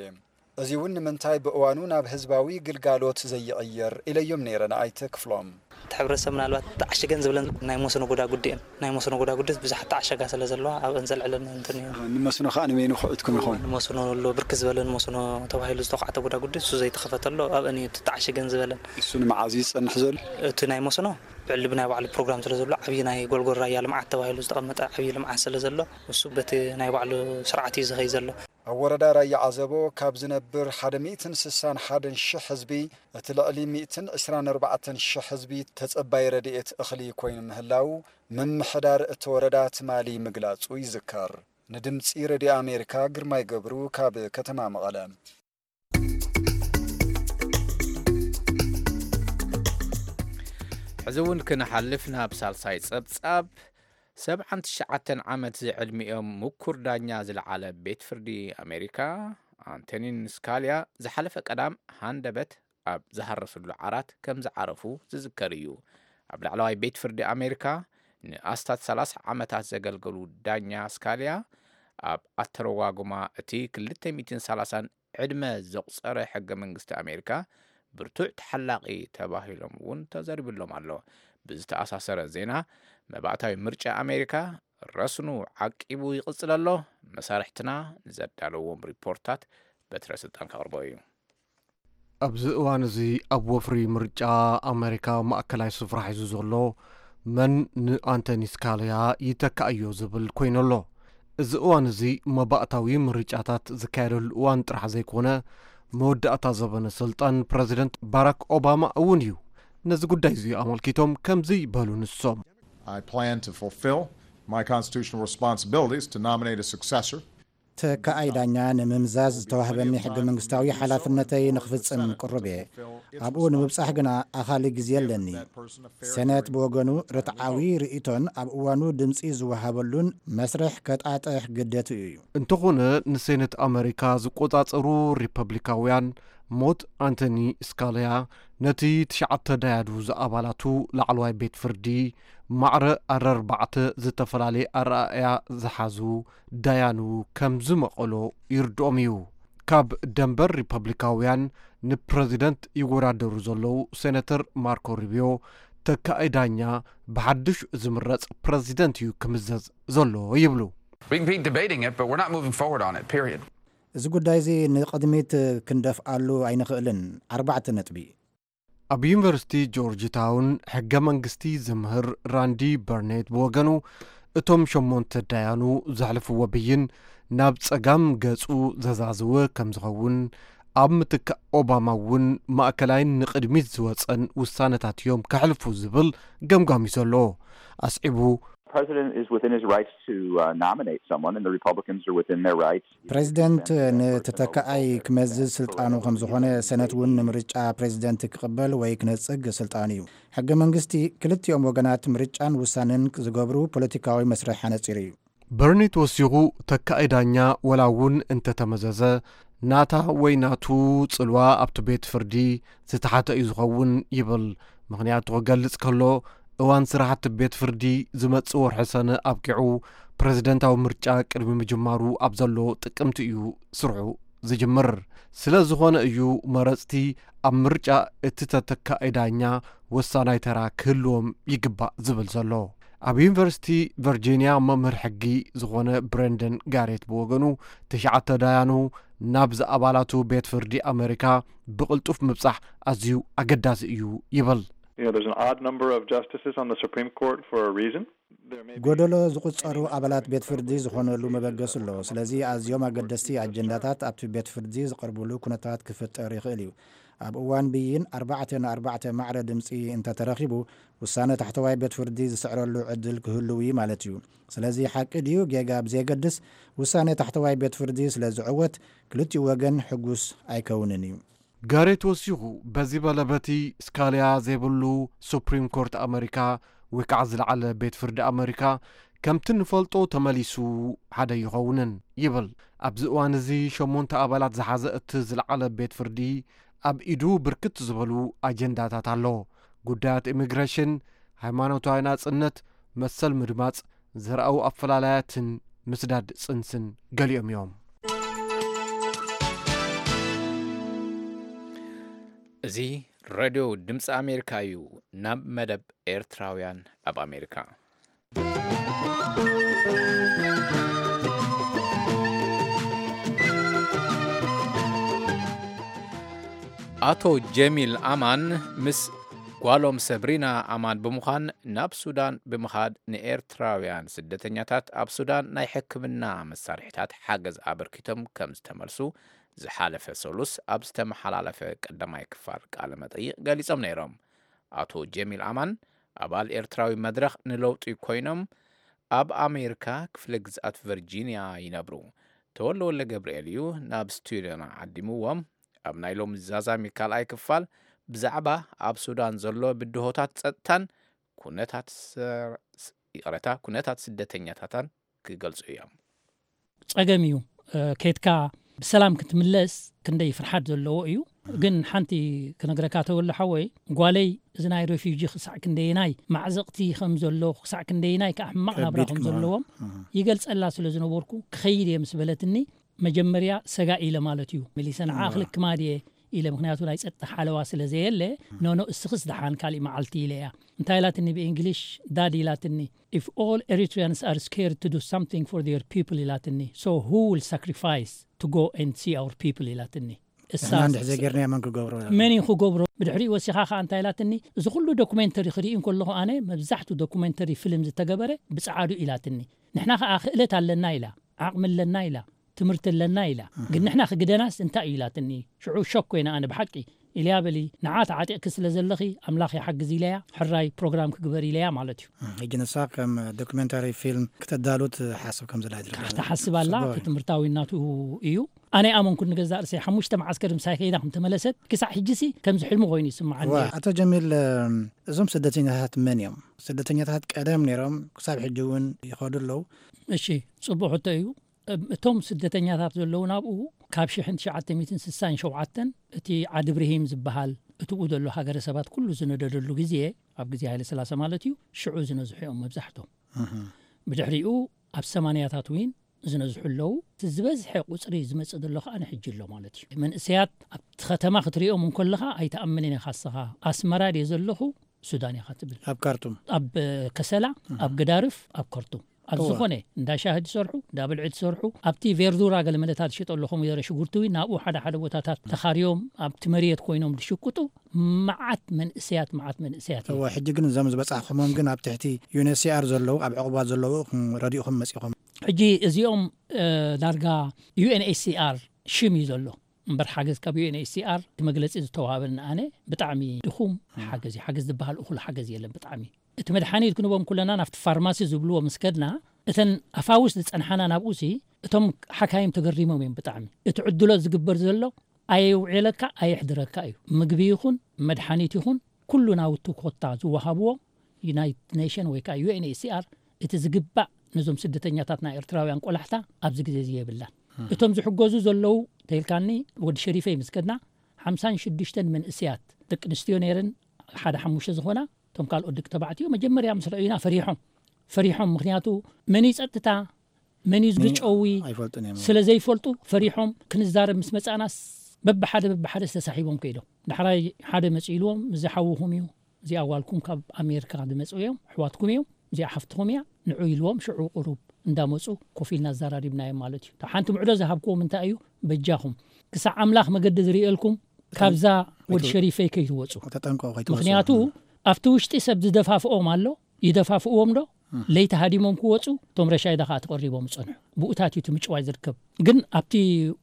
እዚ እውን ንምንታይ ብእዋኑ ናብ ህዝባዊ ግልጋሎት ዘይቕየር ኢለዮም ነይረ ንኣይተ ክፍሎም። እቲ ሕብረተሰብ ምናልባት ተዓሽገን ዝብለን ናይ መስኖ ጎዳጉዲ እየን። ናይ መስኖ ጎዳጉዲ ብዙሓት ተዓሸጋ ስለ ዘለዋ ኣብአን ዘልዕለን እንትን እዩ። ንመስኖ ከዓ ንበይኑ ክዕትኩም ይኸውን? ንመስኖ ኣሎ፣ ብርክት ዝበለ ንመስኖ ተባሂሉ ዝተኳዕተ ጎዳጉዲ እሱ ዘይተኸፈተሎ ኣብአን እዩ ተዓሽገን ዝበለን። እሱ ንመዓዝ እዩ ዝጸንሕ ዘሎ? እቲ ናይ መስኖ ብዕሊ ብናይ ባዕሉ ፕሮግራም ስለ ዘሎ፣ ዓብዪ ናይ ጎልጎል ራያ ልምዓት ተባሂሉ ዝተቐመጠ ዓብዪ ልምዓት ስለ ዘሎ፣ እሱ በቲ ናይ ባዕሉ ስርዓት እዩ ዝኸይ ዘሎ። ኣብ ወረዳ ራያ ዓዘቦ ካብ ዝነብር ሓደ ሚእትን ስሳን ሓደን ሽሕ ህዝቢ፣ እቲ ልዕሊ ሚእትን ዕስራን ኣርባዕተን ሽሕ ህዝቢ ተጸባይ ረድኤት እኽሊ ኮይኑ ምህላው ምምሕዳር እቲ ወረዳ ትማሊ ምግላጹ ይዝከር። ንድምጺ ረድዮ ኣሜሪካ ግርማይ ገብሩ ካብ ከተማ መቐለ። ሕዚ እውን ክንሓልፍ ናብ ሳልሳይ ጸብጻብ። ሰብዓን ትሽዓተን ዓመት ዝዕድሚኦም ምኩር ዳኛ ዝለዓለ ቤት ፍርዲ ኣሜሪካ ኣንቶኒን ስካልያ ዝሓለፈ ቀዳም ሃንደበት ኣብ ዝሃረስሉ ዓራት ከም ዝዓረፉ ዝዝከር እዩ። ኣብ ላዕለዋይ ቤት ፍርዲ ኣሜሪካ ንኣስታት ሰላሳ ዓመታት ዘገልገሉ ዳኛ ስካልያ ኣብ ኣተረጓጉማ እቲ ክልተ ሚእትን ሰላሳን ዕድመ ዘቑጸረ ሕገ መንግስቲ ኣሜሪካ ብርቱዕ ተሓላቒ ተባሂሎም እውን ተዘሪብሎም ኣሎ። ብዝተኣሳሰረ ዜና መባእታዊ ምርጫ ኣሜሪካ ረስኑ ዓቂቡ ይቕጽል ኣሎ። መሳርሕትና ንዘዳለዎም ሪፖርታት በትረ ስልጣን ከቕርቦ እዩ። ኣብዚ እዋን እዚ ኣብ ወፍሪ ምርጫ ኣሜሪካ ማእከላይ ስፍራ ሒዙ ዘሎ መን ንኣንቶኒ ስካልያ ይተካእዮ ዝብል ኮይኑ ኣሎ። እዚ እዋን እዚ መባእታዊ ምርጫታት ዝካየደሉ እዋን ጥራሕ ዘይኮነ መወዳእታ ዘበነ ስልጣን ፕረዚደንት ባራክ ኦባማ እውን እዩ። ነዚ ጉዳይ እዚ ኣመልኪቶም ከምዚ በሉ ንሶም። I plan to fulfill my constitutional responsibilities to nominate a successor. ተካኣይ ዳኛ ንምምዛዝ ዝተዋህበኒ ሕገ መንግስታዊ ሓላፍነተይ ንኽፍጽም ቅሩብ እየ። ኣብኡ ንምብጻሕ ግና ኣኻሊ ግዜ ኣለኒ። ሰነት ብወገኑ ርትዓዊ ርእይቶን ኣብ እዋኑ ድምጺ ዝወሃበሉን መስርሕ ከጣጥሕ ግደትኡ እዩ። እንተኾነ ንሴኔት ኣመሪካ ዝቆጻጸሩ ሪፐብሊካውያን ሞት ኣንቶኒ ስካልያ ነቲ ትሽዓተ ዳያኑ ዝኣባላቱ ላዕለዋይ ቤት ፍርዲ ማዕረ ኣረርባዕተ ዝተፈላለየ ኣረኣእያ ዝሓዙ ዳያኑ ከም ዝመቐሎ ይርድኦም እዩ። ካብ ደንበር ሪፐብሊካውያን ንፕረዚደንት ይወዳደሩ ዘለዉ ሴነተር ማርኮ ሩቢዮ ተካኢ ዳኛ ብሓድሽ ዝምረጽ ፕረዚደንት እዩ ክምዘዝ ዘሎ ይብሉ። We can be debating it, but we're not moving forward on it, period. እዚ ጉዳይ እዚ ንቕድሚት ክንደፍኣሉ ኣይንኽእልን። ኣርባዕተ ነጥቢ። ኣብ ዩኒቨርሲቲ ጆርጅ ታውን ሕገ መንግስቲ ዝምህር ራንዲ በርኔት ብወገኑ እቶም ሸሞንተ ዳያኑ ዘሕልፍዎ ብይን ናብ ጸጋም ገጹ ዘዛዝወ ከም ዝኸውን ኣብ ምትካእ ኦባማ እውን ማእከላይን ንቕድሚት ዝወጸን ውሳነታት እዮም ከሕልፉ ዝብል ገምጋም እዩ ዘሎ። ኣስዒቡ president is within his rights to uh, nominate someone, and the Republicans are within their rights. ፕሬዚደንት ንተተካኣይ ክመዝዝ ስልጣኑ ከም ዝኾነ ሰነት እውን ንምርጫ ፕሬዚደንት ክቕበል ወይ ክነጽግ ስልጣኑ እዩ። ሕገ መንግስቲ ክልቲኦም ወገናት ምርጫን ውሳነን ዝገብሩ ፖለቲካዊ መስርሕ ኣነጺሩ እዩ። በርኔት ወሲኹ ተካኢ ዳኛ ወላ እውን እንተተመዘዘ ናታ ወይ ናቱ ጽልዋ ኣብቲ ቤት ፍርዲ ዝተሓተ እዩ ዝኸውን ይብል። ምኽንያቱ ክገልጽ ከሎ እዋን ስራሕቲ ቤት ፍርዲ ዝመጽእ ወርሒ ሰነ ኣብቂዑ ፕረዚደንታዊ ምርጫ ቅድሚ ምጅማሩ ኣብ ዘሎ ጥቅምቲ እዩ ስርሑ ዝጅምር። ስለ ዝኾነ እዩ መረጽቲ ኣብ ምርጫ እቲ ተተካኢ ዳኛ ወሳናይ ተራ ክህልዎም ይግባእ ዝብል ዘሎ። ኣብ ዩኒቨርሲቲ ቨርጂንያ መምህር ሕጊ ዝኾነ ብረንደን ጋሬት ብወገኑ ትሽዓተ ዳያኑ ናብዚ ኣባላቱ ቤት ፍርዲ ኣመሪካ ብቕልጡፍ ምብጻሕ ኣዝዩ ኣገዳሲ እዩ ይብል። You know, there's an odd number of justices on the Supreme Court for a reason. There may be ጎደሎ ዝቑጸሩ ኣባላት ቤት ፍርዲ ዝኾነሉ መበገሲ ኣሎ። ስለዚ ኣዝዮም ኣገደስቲ ኣጀንዳታት ኣብቲ ቤት ፍርዲ ዝቐርብሉ ኩነታት ክፍጠር ይኽእል እዩ። ኣብ እዋን ብይን ኣርባዕተ ንኣርባዕተ ማዕረ ድምፂ እንተተረኺቡ ውሳነ ታሕተዋይ ቤት ፍርዲ ዝስዕረሉ ዕድል ክህልው እዩ ማለት እዩ። ስለዚ ሓቂ ድዩ ጌጋ ብዘየገድስ ውሳነ ታሕተዋይ ቤት ፍርዲ ስለ ዝዕወት ክልቲኡ ወገን ሕጉስ ኣይከውንን እዩ። ጋሬት ወሲኹ በዚ በለ በቲ ስካልያ ዘይብሉ ሱፕሪም ኮርት ኣመሪካ ወይ ከዓ ዝለዓለ ቤት ፍርዲ ኣመሪካ ከምቲ ንፈልጦ ተመሊሱ ሓደ ይኸውንን ይብል። ኣብዚ እዋን እዚ ሸሞንተ ኣባላት ዝሓዘ እቲ ዝለዓለ ቤት ፍርዲ ኣብ ኢዱ ብርክት ዝበሉ ኣጀንዳታት ኣሎ። ጉዳያት ኢሚግሬሽን፣ ሃይማኖታዊ ናጽነት፣ መሰል ምድማጽ፣ ዘርኣዊ ኣፈላላያትን ምስዳድ ጽንስን ገሊኦም እዮም። እዚ ሬድዮ ድምፂ ኣሜሪካ እዩ። ናብ መደብ ኤርትራውያን ኣብ ኣሜሪካ። ኣቶ ጀሚል ኣማን ምስ ጓሎም ሰብሪና ኣማን ብምዃን ናብ ሱዳን ብምኻድ ንኤርትራውያን ስደተኛታት ኣብ ሱዳን ናይ ሕክምና መሳርሒታት ሓገዝ ኣበርኪቶም ከም ዝተመልሱ ዝሓለፈ ሰሉስ ኣብ ዝተመሓላለፈ ቀዳማይ ክፋል ቃለ መጠይቕ ገሊጾም ነይሮም። ኣቶ ጀሚል ኣማን ኣባል ኤርትራዊ መድረኽ ንለውጢ ኮይኖም ኣብ ኣሜሪካ ክፍለ ግዝኣት ቨርጂንያ ይነብሩ። ተወልደ ወልደ ገብርኤል እዩ ናብ ስቱድዮና ዓዲምዎም። ኣብ ናይ ሎሚ ዛዛሚ ካልኣይ ክፋል ብዛዕባ ኣብ ሱዳን ዘሎ ብድሆታት ጸጥታን ኩነታት ሰ-፣ ይቕረታ፣ ኩነታት ስደተኛታታን ክገልጹ እዮም። ጸገም እዩ። እ፣ ኬድካ ብሰላም ክትምለስ ክንደይ ፍርሓት ዘለዎ እዩ። ግን ሓንቲ ክነግረካ ተወለ ሓወይ፣ ጓለይ እዚ ናይ ሬፊውጂ ክሳዕ ክንደየናይ ማዕዘቕቲ ከም ዘሎ፣ ክሳዕ ክንደየናይ ከዓ ሕማቕ ናብራ ከቢድ ከም ክመሃር። ዘለዎም እህ። ይገልጸላ ስለ ዝነበርኩ፣ ክኸይድ እየ ምስ በለትኒ፣ መጀመርያ ሰጋእ ኢለ ማለት እዩ። መሊሰ ንዓ እዋ። ክልክማ ድየ ኢለ፣ ምኽንያቱ ናይ ጸጥታ ሓለዋ ስለ ዘየለ፣ ኖኖ እስኽስ ደሓን ካሊእ መዓልቲ ኢለ እያ። እንታይ ኢላትኒ ብእንግሊሽ፣ ዳድ ኢላትኒ፣ if all Eritreans are scared to do something for their people ኢላትኒ፣ so who will sacrifice to go and see our people ኢላትኒ። ንሕና እሳስ እንድሕር ዘይጌርናዮ መን ክገብሮ? መን እዩ ክገብሮ? ብድሕሪኡ ወሲኻ ኸዓ እንታይ ኢላትኒ፣ እዚ ኩሉ ዶኩሜንተሪ ክርኢ እንከለኹ ኣነ መብዛሕቱ ዶኩሜንተሪ ፊልም ዝተገበረ ብጸዓዱ ኢላትኒ። ንሕና ኸዓ ክእለት ኣለና ኢላ፣ ዓቕሚ ኣለና ኢላ፣ ትምህርቲ ኣለና ኢላ። እህ። ግን ንሕና ክግደናስ እንታይ እዩ ኢላትኒ። ሽዑ ሾክ ኮይነ ኣነ ብሓቂ። ኢልያ በሊ፣ ንዓ ተዓጢቕኪ ስለ ዘለኺ ኣምላኽ ይሓግዝ ኢለያ፣ ሕራይ ፕሮግራም ክግበር ኢለያ ማለት እዩ። እህ፣ ሕጂ ንሳ ከም ዶክመንታሪ ፊልም ክተዳሉ ትሓስብ ከም ዘላ ትርዳእ። ትሓስብ ኣላ፣ ጽቡቕ እዩ። እቲ ትምህርታዊነቱ እዩ። ኣነ ኣመንኩ ንገዛእ ርእሰይ ሓሙሽተ መዓስከር ምሳይ ከይዳ ከም ተመለሰት፣ ክሳዕ ሕጂሲ ከምዚ ሕልሚ ኮይኑ ይስምዓኒ እዋ፣ እዩ። ኣቶ ጀሚል፣ እም፣ እዞም ስደተኛታት መን እዮም? ስደተኛታት ቀደም ነይሮም፣ ክሳብ ሕጂ እውን ይኸዱ ኣለዉ። እሺ፣ ጽቡቕ ሕቶ እዩ። እም፣ እቶም ስደተኛታት ዘለዉ ናብኡ ካብ ሽሕን ትሽዓተ ሚእትን ስሳን ሸውዓተን እቲ ዓዲ ብርሂም ዝበሃል እትኡ ዘሎ ሃገረ ሰባት ኩሉ ዝነደደሉ ግዜ፣ ኣብ ግዜ ሃይለ ስላሰ ማለት እዩ፣ ሽዑ ዝነዝሑ እዮም መብዛሕቶም። እህ። ብድሕሪኡ ኣብ ሰማንያታት እውን ዝነዝሑ ኣለዉ። እቲ ዝበዝሐ ቁጽሪ ዝመጽእ ዘሎ ከኣ ንሕጂ ኣሎ ማለት እዩ። መንእሰያት ኣብቲ ከተማ ክትሪኦም እንከለኻ ኣይትኣምንን ኢኻ እስኻ። ኣስመራ ድየ ዘለኹ? ሱዳን ኢኻ ትብል። ኣብ ካርቱም። ኣብ ከሰላ፣ እህ። ኣብ ገዳርፍ፣ ኣብ ከርቱም። ኣብ እዋ። ዝኾነ እንዳ ሻሂ ትሰርሑ፣ እንዳ ብልዒ ትሰርሑ፣ ኣብቲ ቬርዱራ ገለ መለታት ዝሸጠሉ ከምኡ ዘረ ሽጉርቲ እውን ናብኡ ሓደ ሓደ ቦታታት ተኻርዮም ኣብቲ መሬት ኮይኖም ዝሽቅጡ መዓት መንእሰያት፣ መዓት መንእሰያት እዮም። እዋ፣ ሕጂ ግን እዞም ዝበጻሕኩሞም ግን ኣብ ትሕቲ ዩ ኤን ኤች ሲ ኣር ዘለዉ፣ ኣብ ዕቑባት ዘለዉ፣ እም፣ ረዲእኹም መጺኹም። ሕጂ እዚኦም፣ እ፣ ዳርጋ ዩ ኤን ኤች ሲ ኣር ሽም እዩ ዘሎ። እምበር ሓገዝ ካብ ዩ ኤን ኤች ሲ ኣር እቲ መግለጺ ዝተዋህበኒ ኣነ ብጣዕሚ ድኹም እም። ሓገዝ እዩ። ሓገዝ ዝበሃል እኹል ሓገዝ የለን ብጣዕሚ። እቲ መድሓኒት ክንቦም ኩለና ናብቲ ፋርማሲ ዝብልዎ ምስ ከድና፣ እተን ኣፋውስ ዝጸንሓና ናብኡሲ፣ እቶም ሓካይም ተገሪሞም እዮም ብጣዕሚ። እቲ ዕድሎት ዝግበር ዘሎ ኣየውዕለካ ኣየሕድረካ እዩ። ምግቢ ይኹን መድሓኒት ይኹን ኩሉ ናውቲ ኮታ ዝወሃብዎ ዩናይትድ ኔሽን ወይ ከዓ ዩ ኤን ኤች ሲ ኣር እቲ ዝግባእ ነዞም ስደተኛታት ናይ ኤርትራውያን ቆላሕታ ኣብዚ ግዜ እዚ የብላን። እም። እቶም ዝሕገዙ ዘለዉ ተይልካኒ ወዲ ሸሪፈይ ምስ ከድና ሓምሳን ሽዱሽተን መንእስያት ደቂ ኣንስትዮ ነይረን ሓደ ሓሙሽተ ዝኾና፣ እቶም ካልኦት ደቂ ተባዕትዮ መጀመርያ ምስ ረእዩና ፈሪሖም። ፈሪሖም፣ ምኽንያቱ መን እዩ ጸጥታ፣ መን እዩ ኒ-፣ ዝግጨዊ ኣይፈልጡን እዮም። ስለ ዘይፈልጡ ፈሪሖም። ክንዛረብ ምስ መጻእናስ በብሓደ በብሓደ ዝተሳሒቦም ከይዶም። ዳሕራይ ሓደ መጺኡ ኢልዎም፣ እዚ ሓውኹም እዩ፣ እዚኣ ጓልኩም ካብ ኣሜሪካ ዝመጹ እዮም፣ ኣሕዋትኩም እዮም፣ እዚኣ ሓፍትኹም እያ፣ ንዑ ኢልዎም፣ ሽዑ ቁሩብ እንዳመጹ ኮፍ ኢልና ኣዘራሪብናዮም ማለት እዩ። እታ ሓንቲ ምዕዶ ዝሃብክዎም እንታይ እዩ፣ በጃኹም ክሳዕ ኣምላኽ መገዲ ዝርእየልኩም ካብዛ ወዲ ኣይትወ-፣ ሸሪፈይ ከይትወጹ። ተጠንቀቑ፣ ከይትወጹ። ምኽንያቱ ኣብቲ ውሽጢ ሰብ ዝደፋፍኦም ኣሎ፣ ይደፋፍእዎም ዶ? እም። ለይቲ ሃዲሞም ክወጹ፣ እቶም ረሻይዳ ከኣ ተቐሪቦም ይጸንሑ። ብኡታት እዩ እቲ ምጭዋይ ዝርከብ። ግን ኣብቲ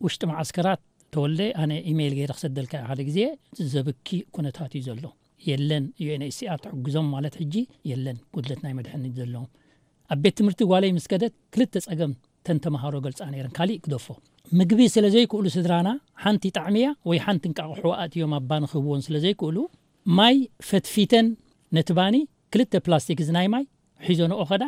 ውሽጢ መዓስከራት ተወልደ፣ ኣነ ኢሜይል ገይረ ክሰደልካ ሓደ ግዜ፣ ዘብኪ ኩነታት እዩ ዘሎ። የለን፣ ዩ ኤን ኤች ሲ ኣር ትሕግዞም ማለት ሕጂ የለን፣ ጉድለት ናይ መድሓኒት ዘለዎም። ኣብ ቤት ትምህርቲ ጓለይ ምስ ከደት ክልተ ጸገም ተን ተመሃሮ ገልጻ ነይረን። ካሊእ ግደፎ። ምግቢ ስለ ዘይክእሉ ስድራና፣ ሓንቲ ጣዕሚ እያ ወይ ሓንቲ እንቃቕሖ ኣእትዮም ኣብ ባኒ ክህብዎን ስለ ዘይክእሉ፣ ማይ ፈትፊተን ነቲ ባኒ ክልተ ፕላስቲክ ዝናይ ማይ ሒዞንኦ ኸዳ፣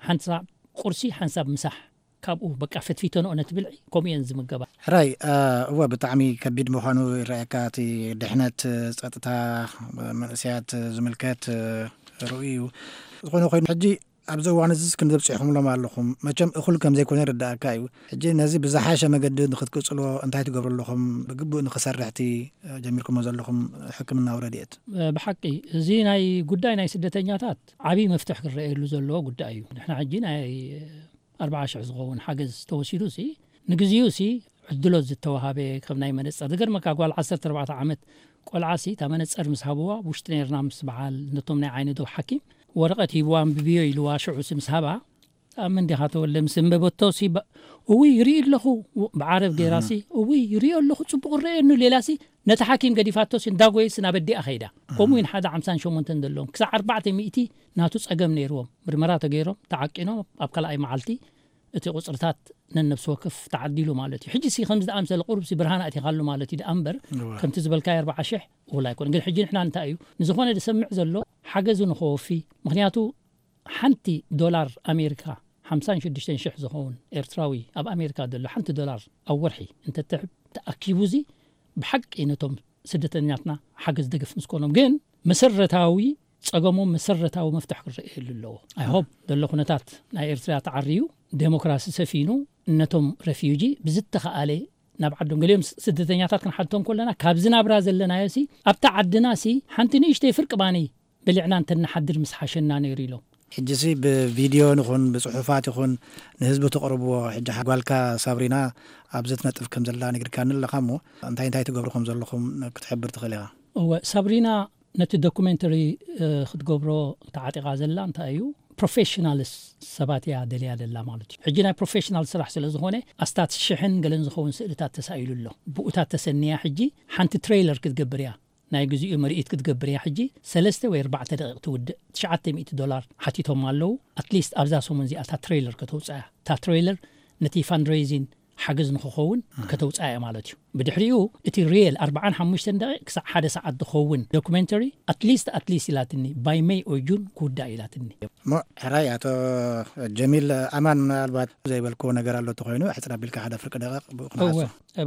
ሓንሳብ ቁርሲ፣ ሓንሳብ ምሳሕ። ካብኡ በቃ ፈትፊተንኦ ነቲ ብልዒ፣ ከምኡ እየን ዝምገባ። ሕራይ፣ እ፣ እወ፣ ብጣዕሚ ከቢድ ምዃኑ ይረኣየካ። እቲ ድሕነት፣ ጸጥታ፣ መንእሰያት ዝምልከት፣ እ፣ ርኡይ እዩ። ዝኾነ ኮይኑ፣ ሕጂ ኣብዚ እዋን እዚስ ክንዲ ኣብፂሕኹምሎም ኣለኹም። መቸም እኹል ከም ዘይኮነ ይርዳእካ እዩ። ሕጂ ነዚ ብዝሓሸ መገዲ ንክትቅፅሎ እንታይ ትገብሩ ኣለኹም? ብግቡእ ንክሰርሕ እቲ ጀሚርኩሞ ዘለኹም ሕክምናዊ ረድኤት? ብሓቂ እዚ ናይ ጉዳይ ናይ ስደተኛታት ዓብዪ መፍትሕ ክረኣየሉ ዘለዎ ጉዳይ እዩ። ንሕና ሕጂ ናይ ኣርባዓ ሽሕ ዝኸውን ሓገዝ ተወሲዱ ሲ ንግዚኡ ሲ ዕድሎት ዝተዋሃበ ከም ናይ መነፀር ዝገርመካ ጓል ዓሰርተ ኣርባዕተ ዓመት ቆልዓ ሲ እታ መነፀር ምስ ሃብዋ ውሽጢ ነርና ምስ በዓል ነቶም ናይ ዓይኒ ዶ ሓኪም ወረቐት ሂብዋ ኣንብብዮ ኢልዋ ሽዑ ሲ ምስ ሃባ ኣምን ዲኻ ተወለ ምስ እንበበቶ ሲ እውይ ይርኢ ኣለኹ ብዓረብ ገይራ ሲ እውይ ይርኢ ኣለኹ ፅቡቕ ረየኑ ሌላ ሲ ነቲ ሓኪም ገዲፋቶ ሲ እንዳጎየ ሲ ናብ ኣዲኣ ከይዳ። ከምኡ ኢን ሓደ ሓምሳን ሸሞንተን ዘለዎም ክሳዕ ኣርባዕተ ሚእቲ ናቱ ጸገም ነይርዎም ምርመራ ተገይሮም ተዓቂኖም ኣብ ካልኣይ መዓልቲ እቲ ቁጽርታት ነነብሲ ወከፍ ተዓዲሉ ማለት እዩ። ሕጂ ሲ ከምዚ ዝኣምሰለ ቁሩብ ሲ ብርሃን ኣእቲኻሉ ማለት እዩ ደኣ እምበር ከምቲ ዝበልካዮ ኣርባዓ ሽሕ ውላ ኣይኮነ። ግን ሕጂ ንሕና እንታይ እዩ ንዝኾነ ዝሰምዕ ዘሎ ሓገዙ ንኸወፊ ምኽንያቱ ሓንቲ ዶላር ኣሜሪካ ሓምሳን ሽዱሽተን ሽሕ ዝኸውን ኤርትራዊ ኣብ ኣሜሪካ ዘሎ ሓንቲ ዶላር ኣብ ወርሒ እንተትሕብ ተኣኪቡ እዚ ብሓቂ ነቶም ስደተኛትና ሓገዝ ደገፍ ምስ ኮኖም ግን መሰረታዊ ጸገሞም መሰረታዊ መፍትሕ ክረኣየሉ ኣለዎ። ኣይሆብ ዘሎ ኩነታት ናይ ኤርትራ ተዓርዩ ዴሞክራሲ ሰፊኑ ነቶም ረፊጂ ብዝተኸኣለ ናብ ዓዶም ገሊኦም ስደተኛታት ክንሓቶም ከለና ካብዚ ናብራ ዘለናዮ ሲ ኣብታ ዓድና ሲ ሓንቲ ንእሽተይ ፍርቂ ባኒ በሊዕና እንተንሓድር ምስ ሓሸና ነይሩ ኢሎም። ሕጂሲ ብቪድዮ ንኹን ብፅሑፋት ይኹን ንህዝቢ ተቕርብዎ። ሕጂ ጓልካ ሳብሪና ኣብዚ ትነጥፍ ከም ዘላ ነጊርካኒ ኣለኻ እሞ እንታይ እንታይ ትገብሩ ከም ዘለኹም ክትሕብር ትኽእል ኢኻ? እወ ሳብሪና ነቲ ዶኩሜንተሪ ክትገብሮ ተዓጢቓ ዘላ እንታይ እዩ ፕሮፌሽናልስ ሰባት እያ ደልያ ደላ ማለት እዩ። ሕጂ ናይ ፕሮፌሽናል ስራሕ ስለ ዝኾነ ኣስታት ሽሕን ገለን ዝኸውን ስእልታት ተሳኢሉ ኣሎ። ብኡታት ተሰንያ ሕጂ ሓንቲ ትሬይለር ክትገብር እያ ናይ ግዚኡ ምርኢት ክትገብር እያ ሕጂ ሰለስተ ወይ ኣርባዕተ ደቂቕ ትውድእ ትሽዓተ ሚእቲ ዶላር ሓቲቶም ኣለዉ ኣትሊስት ኣብዛ ሰሙን እዚኣ እታ ትሬይለር ከተውፅኣ እያ እታ ትሬይለር ነቲ ፋንድሬዚን ሓገዝ ንክኸውን ከተውፅኣ እያ ማለት እዩ ብድሕሪኡ እቲ ሪየል ኣርባዓን ሓሙሽተን ደቂቕ ክሳዕ ሓደ ሰዓት ዝኸውን ዶኩሜንተሪ ኣትሊስት ኣትሊስት ኢላትኒ ባይ ሜይ ኦይ ጁን ክውዳእ ኢላትኒ እሞ ሕራይ ኣቶ ጀሚል ኣማን ምናልባት ዘይበልክዎ ነገር ኣሎ ተኮይኑ ሕፅር ኣቢልካ ሓደ ፍርቂ ደቂቕ ብኡ ክንሓሶ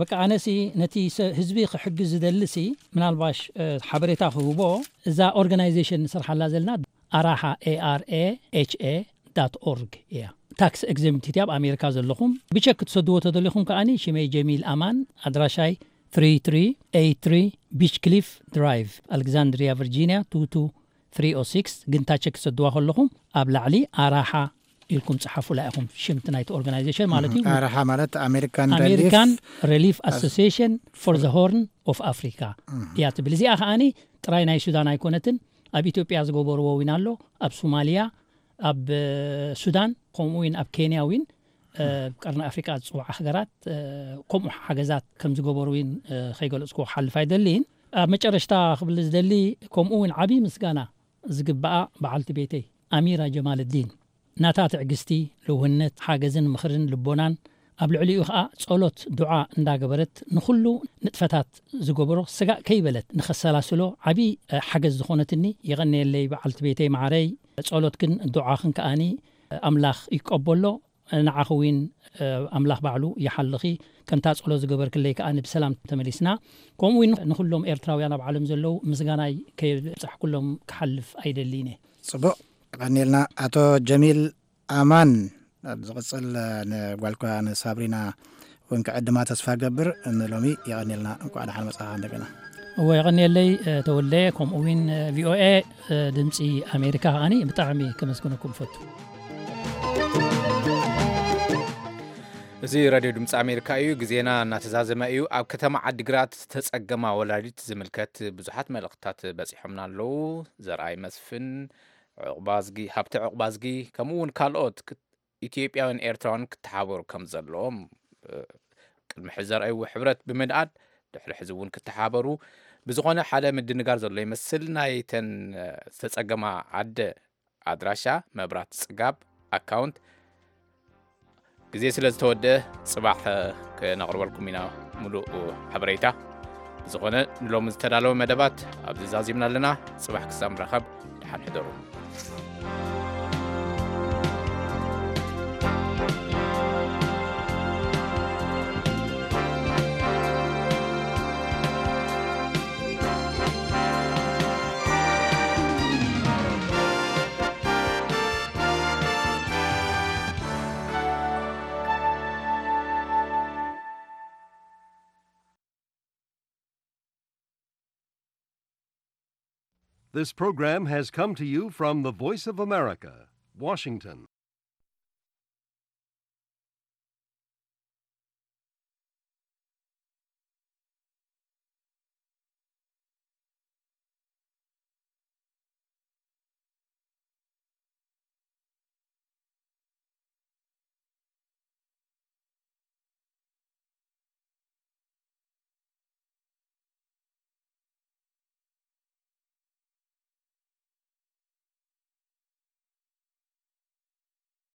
በቃ ኣነሲ ነቲ ህዝቢ ክሕግዝ ዝደልሲ ምናልባሽ ሓበሬታ ክህቦ እዛ ኦርጋናይዜሽን ንሰርሓላ ዘለና ኣራሓ ኤርኤች ኦርግ እያ ታክስ ኤግዘምፕት ኣብ ኣሜሪካ ዘለኹም ብቸክ ክትሰድዎ ተደሊኹም ከኣኒ ሽመይ ጀሚል ኣማን ኣድራሻይ ትሪ ትሪ ኤይት ትሪ ቢች ክሊፍ ድራይቭ ኣሌክዛንድሪያ ቨርጂኒያ ቱ ቱ ትሪ ኦ ሲክስ ግንታ ቸክ ክትሰድዋ ከለኹም ኣብ ላዕሊ ኣራሓ ኢልኩም ጸሓፉላ ኢኹም ሽምቲ ናይቲ ኦርጋናይዜሽን ማለት እዩ ኣራሓ ማለት ኣሜሪካን ኣሜሪካን ሪሊፍ ኣሶሲሽን ፎር ዘ ሆርን ኦፍ ኣፍሪካ እያ ትብል እዚኣ ከኣኒ ጥራይ ናይ ሱዳን ኣይኮነትን ኣብ ኢትዮጵያ ዝገበርዎ ዊን ኣሎ ኣብ ሶማሊያ ኣብ ሱዳን ከምኡ ዊን ኣብ ኬንያ ዊን ቀርኒ ኣፍሪቃ ዝፅውዓ ሃገራት ከምኡ ሓገዛት ከም ዝገበሩ ዊን ከይገለፅኩ ክሓልፍ ኣይደልይን ኣብ መጨረሽታ ክብል ዝደሊ ከምኡ ዊን ዓብዪ ምስጋና ዝግበኣ በዓልቲ ቤተይ ኣሚራ ጀማልዲን ናታ ትዕግስቲ ልውህነት ሓገዝን ምኽርን ልቦናን ኣብ ልዕሊኡ ኸኣ ጸሎት ዱዓ እንዳገበረት ንኹሉ ንጥፈታት ዝገበሮ ስጋእ ከይበለት ንኸሰላስሎ ዓቢ ሓገዝ ዝኾነትኒ የቐንየለይ በዓልቲ ቤተይ መዓረይ ጸሎትክን ዱዓኽን ከኣኒ ኣምላኽ ይቀበሎ ንዓኺ እውን ኣምላኽ ባዕሉ ይሓልኺ ከምታ ጸሎት ዝገበርክለይ ከኣ ብሰላም ተመሊስና ከምኡ እውን ንኹሎም ኤርትራውያን ኣብ ዓለም ዘለዉ ምስጋናይ ከየብጻሕኩሎም ክሓልፍ ኣይደልይን እየ ጽቡቕ ቀኒልና ኣቶ ጀሚል ኣማን ኣብ ዝቕጽል ንጓልኳ ንሳብሪና እውን ክዕድማ ተስፋ ገብር ንሎሚ የቐኒልና እንኳዕ ደሓን መጻኻ እንደገና እወ የቐኒየለይ ተወልደ ከምኡ እውን ቪኦኤ ድምፂ ኣሜሪካ ከዓኒ ብጣዕሚ ከመስግነኩም ፈቱ እዚ ራድዮ ድምፂ ኣሜሪካ እዩ ግዜና እናተዛዘመ እዩ ኣብ ከተማ ዓዲግራት ዝተፀገማ ወላዲት ዝምልከት ብዙሓት መልእኽትታት በፂሖምና ኣለዉ ዘርኣይ መስፍን ዕቑባዝጊ ሃብተ ዕቑባዝጊ ከምኡ እውን ካልኦት ኢትዮጵያውያን ኤርትራውያን ክተሓበሩ ከም ዘለዎም ቅድሚ ሕዚ ዘርኣይዎ ሕብረት ብምንኣድ ድሕሪ ሕዚ እውን ክተሓበሩ ብዝኾነ ሓደ ምድንጋር ዘሎ ይመስል ናይተን ዝተፀገማ ዓደ ኣድራሻ መብራት ፅጋብ ኣካውንት ግዜ ስለ ዝተወደአ ፅባሕ ክነቕርበልኩም ኢና ሙሉእ ሓበሬታ ዝኾነ ንሎሚ ዝተዳለወ መደባት ኣብዚ ዛዚምና ኣለና ፅባሕ ክሳብ ንራኸብ ደሓን ሕደሩ This program has come to you from the Voice of America, Washington.